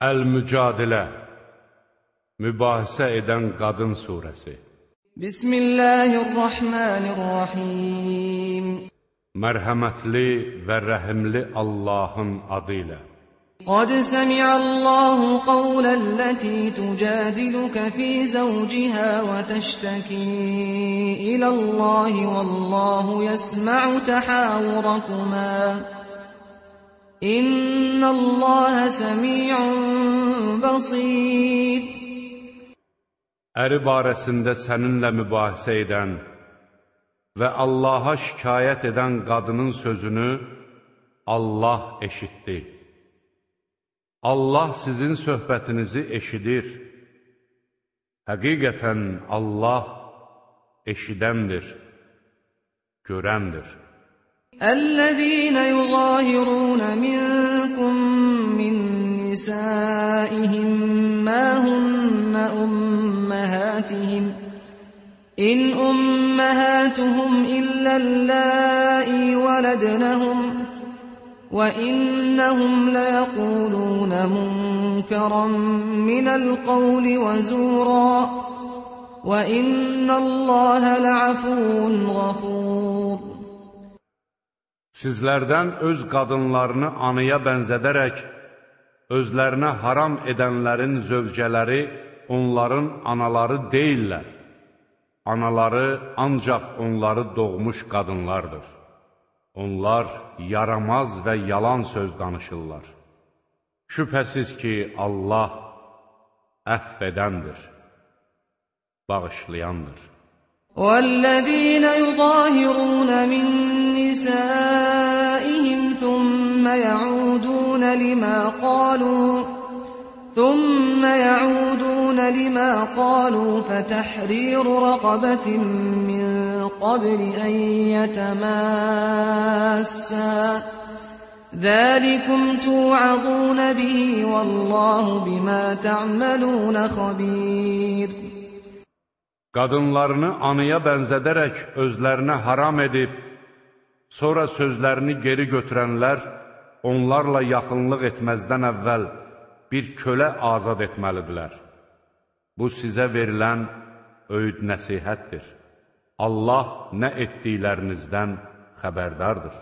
Əl-Mücadilə, mübahisə edən qadın surəsi. Bismillahirrahmanirrahim. Mərhəmətli və rəhimli Allahın adı ilə. قد سمع الله قول التي تجادلك في زوجها وتشتكي إلى الله والله يسمع تحاوركما إن الله سميع بصير. Əri barəsində səninlə mübahisə edən və Allaha şikayət edən qadının sözünü Allah eşitdi. Allah sizin söhbətinizi eşidir. Həqiqətən Allah eşidəndir, görəndir. الذين يظاهرون منكم من نسائهم ما هن أمهاتهم إن أمهاتهم إلا اللائي ولدنهم وإنهم ليقولون منكرا من القول وزورا وإن الله لعفو غفور. Sizlərdən öz qadınlarını anıya bənzədərək, özlərinə haram edənlərin zövcələri onların anaları deyillər. Anaları ancaq onları doğmuş qadınlardır. Onlar yaramaz və yalan söz danışırlar. Şübhəsiz ki, Allah əfv edəndir, bağışlayandır. وَالَّذِينَ يُظَاهِرُونَ مِن نِّسَائِهِمْ ثُمَّ يَعُودُونَ لِمَا قَالُوا فَتَحْرِيرُ رَقَبَةٍ مِّن قَبْلِ أَن يَتَمَاسَّا ذَلِكُمْ تُوعَظُونَ بِهِ وَاللَّهُ بِمَا تَعْمَلُونَ خَبِيرٌ. Qadınlarını anıya bənzədərək özlərinə haram edib, sonra sözlərini geri götürənlər onlarla yaxınlıq etməzdən əvvəl bir kölə azad etməlidirlər. Bu sizə verilən öyüd nəsihətdir. Allah nə etdiklərinizdən xəbərdardır.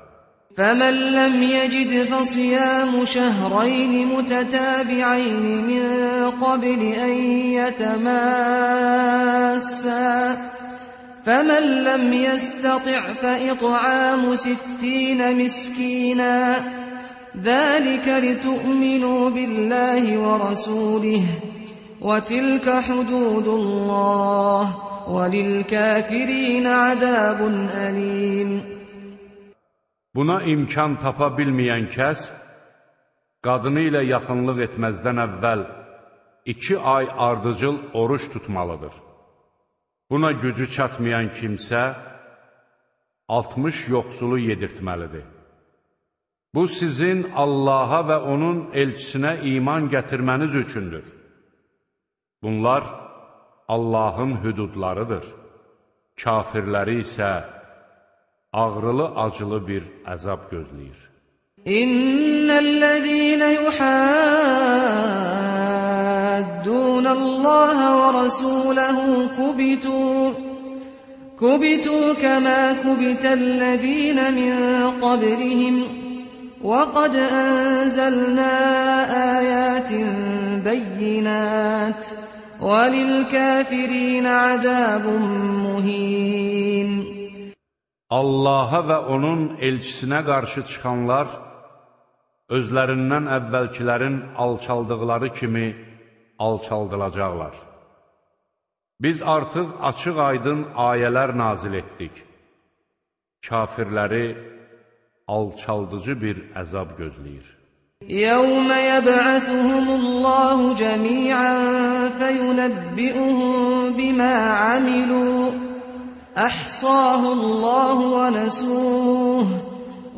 فَمَنْ لَمْ يَجِدْ فَصِيَامُ شَهْرَيْنِ مُتَتَابِعَيْنِ مِنْ قَبْلِ أَنْ يَتَمَاسَّا فَمَنْ لَمْ يَسْتَطِعْ فَإِطْعَامُ 60 مِسْكِينًا ذَلِكَ لِتُؤْمِنُوا بِاللَّهِ وَرَسُولِهِ وَتِلْكَ حُدُودُ اللَّهِ وَلِلْكَافِرِينَ عَذَابٌ أَلِيمٌ. Buna imkan tapa bilməyən kəs, qadını ilə yaxınlıq etməzdən əvvəl 2 ay ardıcıl oruç tutmalıdır. Buna gücü çatmayan kimsə 60 yoxsulu yedirtməlidir. Bu sizin Allaha və onun elçisinə iman gətirməniz üçündür. Bunlar Allahın hüdudlarıdır. Kafirləri isə ağrılı-acılı bir əzab gözləyir. İnnellezîne yuhaddûnallâhe ve rasûlehu kubitû kemâ kubitellezîne min qablihim ve kad enzelnâ âyâtin beyinât ve lilkâfirîne azâbun muhîn. Allaha və onun elçisinə qarşı çıxanlar özlərindən əvvəlkilərin alçaldıqları kimi alçaldılacaqlar. Biz artıq açıq-aydın ayələr nazil etdik. Kafirləri alçaldıcı bir əzab gözləyir. يَوْمَ يَبْعَثُهُمُ اللّٰهُ جَمِيعًا فَيُنَبِّئُهُم بِمَا عَمِلُوا أَحْصَاهُ اللّٰهُ وَنَسُوهُ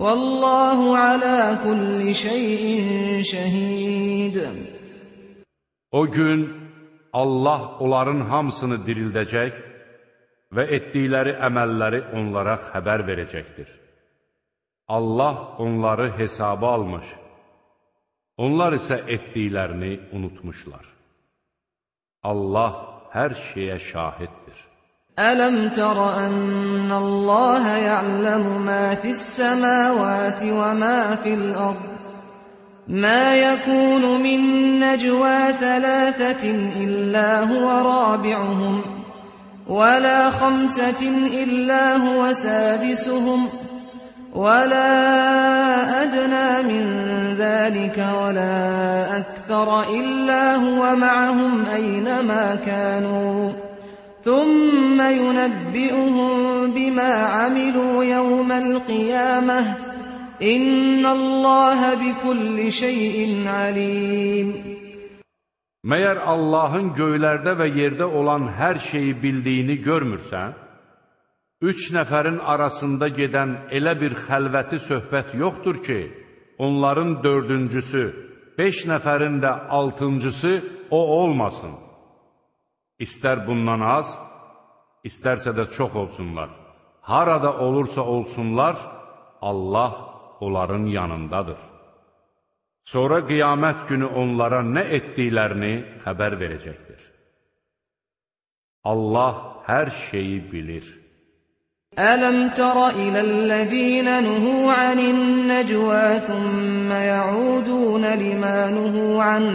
وَاللّٰهُ عَلَى كُلِّ شَيْءٍ شَهِيدٌ. O gün Allah onların hamısını dirildəcək və etdikləri əməlləri onlara xəbər verəcəkdir. Allah onları hesaba almış, Onlar isə etdiklərini unutmuşlar. Allah hər şeyə şahiddir. Ələm tərə ənəlləhə ya'ləmu mə fis-səməvəti və mə fil-ərd. ما يكون من نجوى ثلاثة إلا هو رابعهم ولا خمسة إلا هو سادسهم ولا أدنى من ذلك ولا أكثر إلا هو معهم أينما كانوا ثم ينبئهم بما عملوا يوم القيامة İnnəlləhə bikulli şeyin alim. Məyər Allahın göylərdə və yerdə olan hər şeyi bildiyini görmürsən? 3 nəfərin arasında gedən elə bir xəlvəti söhbət yoxdur ki, onların 4-cüsü, 5 nəfərin də 6-cısı o olmasın. İstər bundan az, istərsə də çox olsunlar. Harada olursa olsunlar, Allah onların yanındadır. Sonra qiyamət günü onlara nə etdiklərini xəbər verəcəkdir. Allah hər şeyi bilir. Ələm tərə iləl-ləzīnə nuhu anin-nəcvə thumma ya'udun limə nuhu anh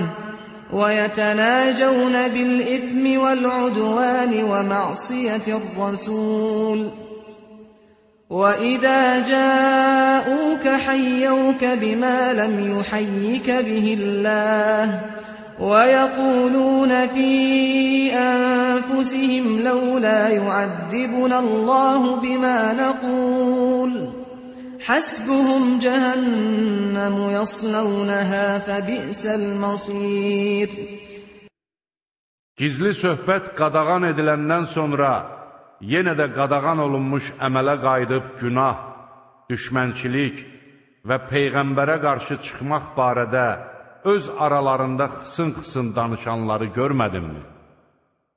və yətənəcəvn bil-ithmi vəl-udvən və ma'siyyətir-rəsul. وَإِذَا جَاءُوكَ حَيَّوْكَ بِمَا لَمْ يُحَيِّكَ بِهِ اللَّهُ وَيَقُولُونَ فِي أَنفُسِهِمْ لَوْلَا يُعَذِّبُنَا اللَّهُ بِمَا نَقُولُ حَسْبُهُمْ جَهَنَّمُ يَصْلَوْنَهَا فَبِئْسَ الْمَصِيرُ. Gizli söhbət qadağan ediləndən sonra yenə də qadağan olunmuş əmələ qayıdıb günah, düşmənçilik və Peyğəmbərə qarşı çıxmaq barədə öz aralarında xısın-xısın danışanları görmədinmi?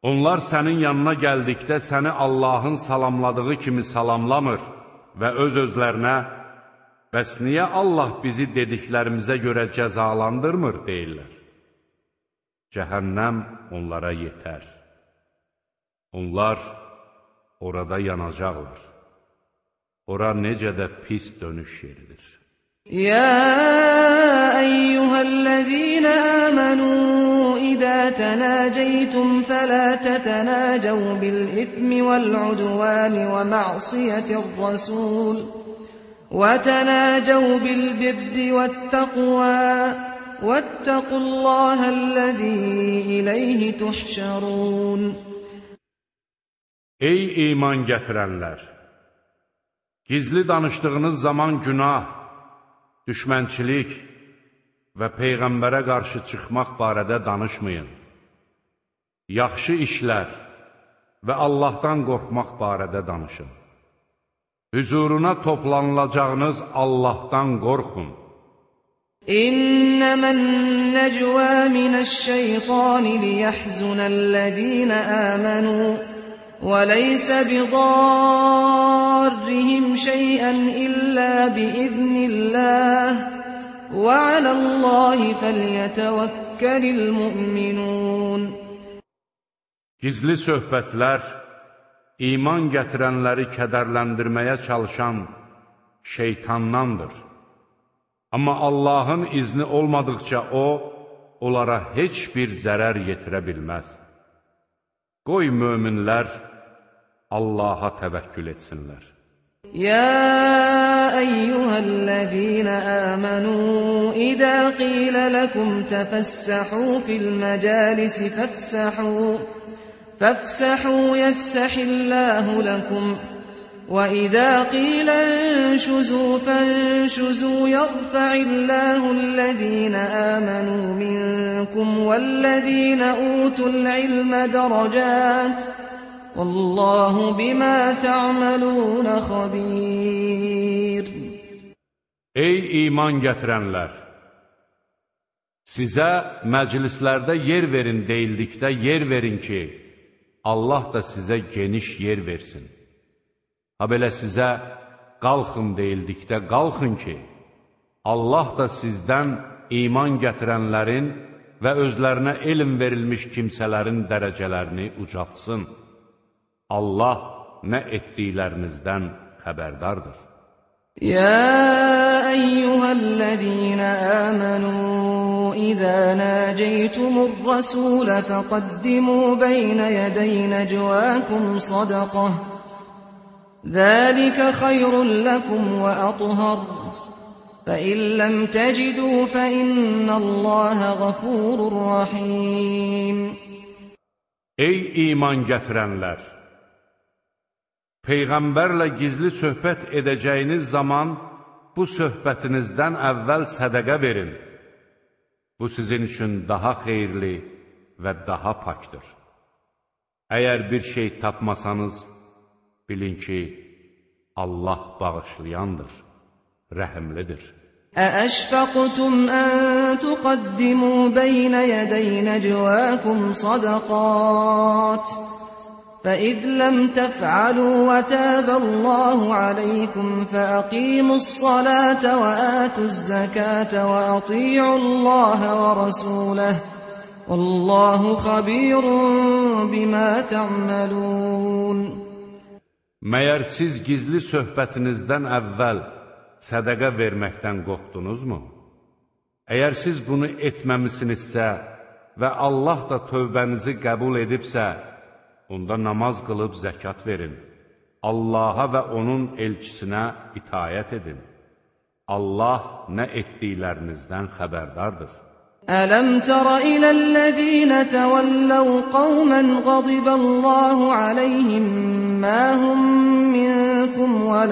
Onlar sənin yanına gəldikdə səni Allahın salamladığı kimi salamlamır və öz-özlərinə bəs niyə Allah bizi dediklərimizə görə cəzalandırmır deyirlər. Cəhənnəm onlara yetər. Onlar orada yanacaqlar. Ora necə də pis dönüş yeridir. Ya eyyuhəl-ləzīnə əmənu İzə tənəcəytum fələ tətənəcəv bil-ithmi vəl-udvəni və ma'siyyətir-rəsul və tənəcəv bil-birri vəttəqvə vəttəqullahəl-ləzî iləyhi tuhşərun. Ey iman gətirənlər! Gizli danışdığınız zaman günah, düşmənçilik və Peyğəmbərə qarşı çıxmaq barədə danışmayın. Yaxşı işlər və Allahdan qorxmaq barədə danışın. Hüzuruna toplanılacağınız Allahdan qorxun. İnnəmən-nəcvə minəş-şeytani liyəhzunəl-ləzīnə əmənu وَلَيْسَ بِضَارِّهِمْ شَيْئًا إِلَّا بِإِذْنِ اللَّهِ وَعَلَى اللَّهِ فَلْيَتَوَكَّلِ الْمُؤْمِنُونَ. Gizli söhbətlər, iman gətirənləri kədərləndirməyə çalışan şeytandandır. Amma Allahın izni olmadıqca o, onlara heç bir zərər yetirə bilməz. Qoy möminlər Allaha təvəkkül etsinlər. Ya eyyuhəl-ləzīnə əmənu İzə qilə ləkum təfəssəhu fil-məcəlisi fəfsəhu yəfsəhilləhu ləkum وَإِذَا قِيلَ انشُزُوا فَانشُزُوا يَرْفَعِ اللَّهُ الَّذِينَ آمَنُوا مِنكُمْ وَالَّذِينَ أُوتُوا الْعِلْمَ دَرَجَاتٍ وَاللَّهُ بِمَا تَعْمَلُونَ خَبِيرٌ. Ey iman gətirənlər! Sizə məclislərdə yer verin deyildikdə yer verin ki, Allah da sizə geniş yer versin. Ha belə sizə qalxın deyildikdə qalxın ki, Allah da sizdən iman gətirənlərin və özlərinə elm verilmiş kimsələrin dərəcələrini ucaltsın. Allah nə etdiklərinizdən xəbərdardır. يا أيها الذين آمنوا إذا ناجيتم الرسول فقدموا بين يدي نجواكم صدقة ذلك خير لكم وأطهر فإن لم تجدوا فإن الله غفور رحيم. Ey iman gətirənlər! Peyğəmbərlə gizli söhbət edəcəyiniz zaman bu söhbətinizdən əvvəl sədəqə verin. Bu sizin üçün daha xeyirli və daha pakdır. Əgər bir şey tapmasanız, bilin ki, Allah bağışlayandır, rəhimlidir. أأشفقتم أن تقدموا بين يدي نجواكم صدقات فإذ لم تفعلوا وتاب الله عليكم فأقيموا الصلاة وآتوا الزكاة وأطيعوا الله ورسوله والله خبير بما تعملون. Məyər siz gizli söhbətinizdən əvvəl sədəqə verməkdən qorxdunuzmu? Əgər siz bunu etməmisinizsə və Allah da tövbənizi qəbul edibsə, onda namaz qılıb zəkat verin. Allaha və onun elçisinə itayət edin. Allah nə etdiklərinizdən xəbərdardır. Ələm tərə iləl-ləzīnə təvəlləv qavmən qadiballahu aleyhim mə hum minkum və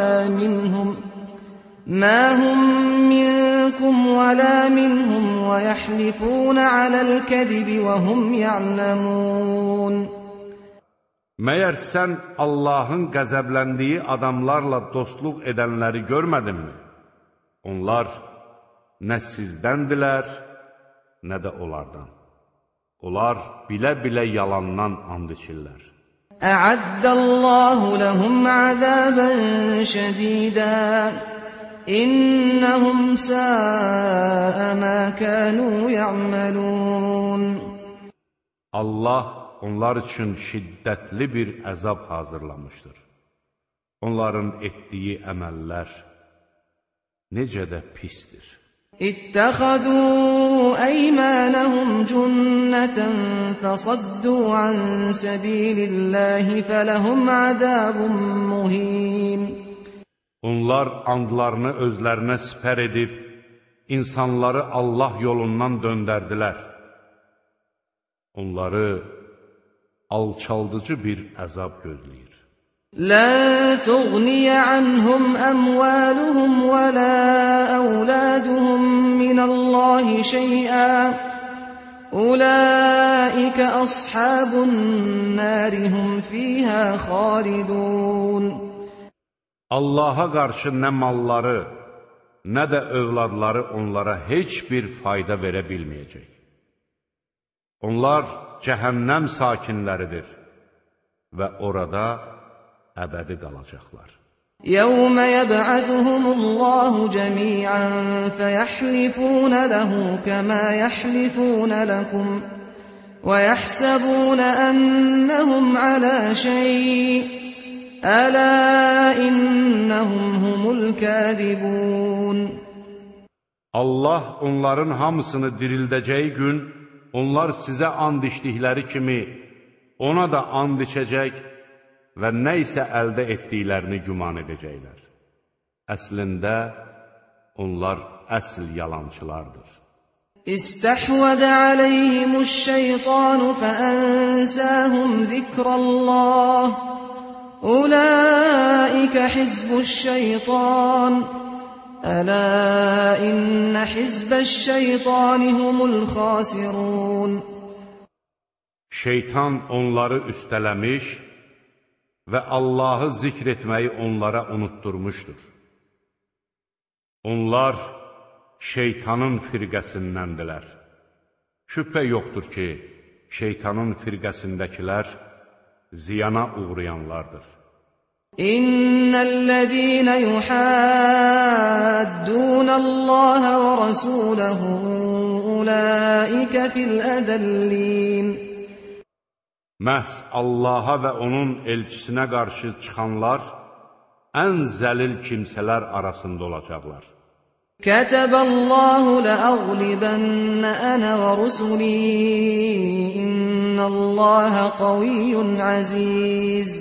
lə minhum və yəhlifūnə aləl-kəzib və hum ya'ləmūn. Məyər sən Allahın qəzəbləndiyi adamlarla dostluq edənləri görmədinmi? Onlar nə sizdəndilər, nə də onlardan. Onlar bilə-bilə yalandan and içirlər. Ə'addəllahu ləhum əzəbən şədidən İnnəhum səə mə kənu ya'məlun. Allah onlar üçün şiddətli bir əzab hazırlamışdır. Onların etdiyi əməllər necə də pisdir. İttəxəzū əymənəhum cünnətən fəsaddu an səbililləhi fələhum əzəbun muhin. Onlar andlarını özlərinə sipər edib, insanları Allah yolundan döndərdilər. Onları alçaldıcı bir əzab gözləyir. لَا تُغْنِيَ عَنْهُمْ أَمْوَالُهُمْ وَلَا أَوْلَادُهُمْ مِنَ اللَّهِ شَيْئًا أُولَٰئِكَ أَصْحَابُ النَّارِ هُمْ فِيهَا خَالِدُونَ. Allaha qarşı nə malları, nə də övladları onlara heç bir fayda verə bilməyəcək. Onlar cəhənnəm sakinləridir və orada əbədi qalacaqlar. يَوْمَ يَبْعَثُهُمُ اللَّهُ جَمِيعًا فَيَحْلِفُونَ لَهُ كَمَا يَحْلِفُونَ لَكُمْ وَيَحْسَبُونَ أَنَّهُمْ عَلَى شَيْءٍ أَلَا إِنَّهُمْ هُمُ الْكَاذِبُونَ. Allah onların hamısını dirildəcəyi gün, onlar sizə and içdikləri kimi ona da and içəcək və nə isə əldə etdiklərini güman edəcəklər. Əslində, onlar əsl yalançılardır. İstəhvədə aleyhimuş-şeytanu fəənsəhum zikrəllah Ulaikə hizbuş-şeytan Ələ innə hizbəş-şeytani humul xasirun. Şeytan onları üstələmiş və Allahı zikr etməyi onlara unutturmuşdur. Onlar şeytanın firqəsindəndirlər. Şübhə yoxdur ki, şeytanın firqəsindəkilər ziyana uğrayanlardır. İnnellezîne yuhâddûnallâhe ve rasûlehu أولئك في الأذلين. Məhz Allaha və onun elçisinə qarşı çıxanlar ən zəlil kimsələr arasında olacaqlar. Kətəbəllahu ləəğlibənə ənə və rusuli innəllaha qaviyyun əziz.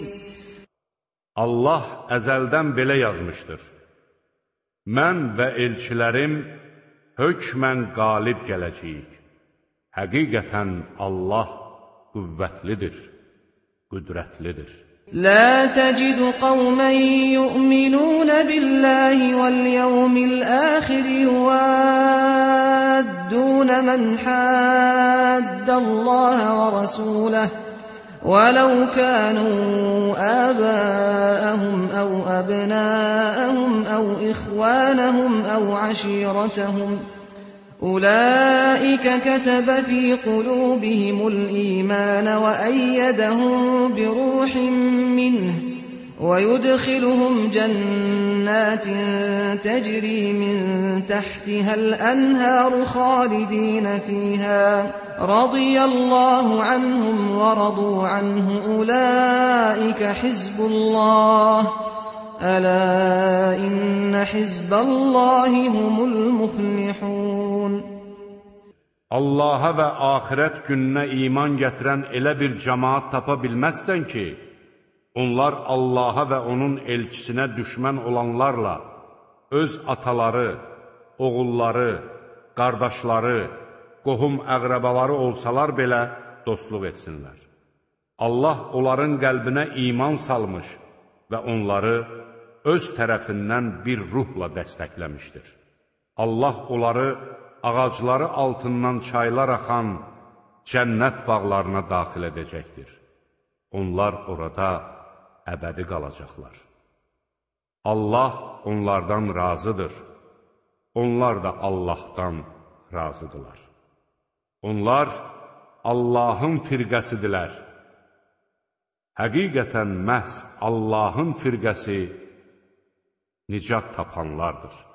Allah əzəldən belə yazmışdır. Mən və elçilərim hökmən qalib gələcəyik. Həqiqətən Allah qüvvətlidir, qüdrətlidir. لا تجد قوما يؤمنون بالله واليوم الآخر يوادون من حاد الله ورسوله ولو كانوا آباءهم أو أبناءهم أو إخوانهم أو عشيرتهم أولئك كتب في قلوبهم الإيمان وأيدهم بروح منه ويدخلهم جنات تجري من تحتها الأنهار خالدين فيها رضي الله عنهم ورضوا عنه أولئك حزب الله ألا إن حزب الله هم المفلحون. Allaha və axirət gününə iman gətirən elə bir cəmaat tapa bilməzsən ki, onlar Allaha və onun elçisinə düşmən olanlarla öz ataları, oğulları, qardaşları, qohum əqrəbaları olsalar belə dostluq etsinlər. Allah onların qəlbinə iman salmış və onları öz tərəfindən bir ruhla dəstəkləmişdir. Allah onları ağacları altından çaylar axan cənnət bağlarına daxil edəcəkdir. Onlar orada əbədi qalacaqlar. Allah onlardan razıdır. Onlar da Allahdan razıdırlar. Onlar Allahın firqəsidirlər. Həqiqətən məhz Allahın firqəsi nicat tapanlardır.